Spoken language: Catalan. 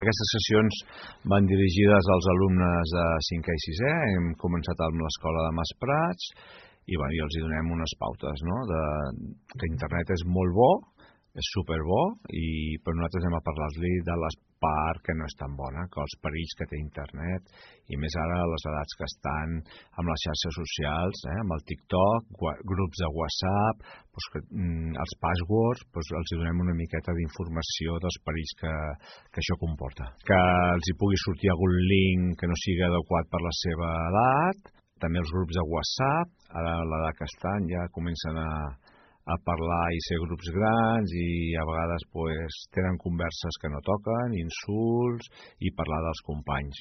Aquestes sessions van dirigides als alumnes de 5è i 6è, hem començat amb l'escola de Masprats i els hi donem unes pautes, no? Que internet és molt bo, és superbo, però nosaltres anem a parlar-li de les part que no és tan bona, que els perills que té internet, i més ara a les edats que estan amb les xarxes socials, amb el TikTok, grups de WhatsApp, els passwords, els donem una miqueta d'informació dels perills que això comporta. Que els hi pugui sortir algun link que no sigui adequat per la seva edat, també els grups de WhatsApp, ara a l'edat que estan ja comencen a parlar i ser grups grans i a vegades tenen converses que no toquen, insults i parlar dels companys.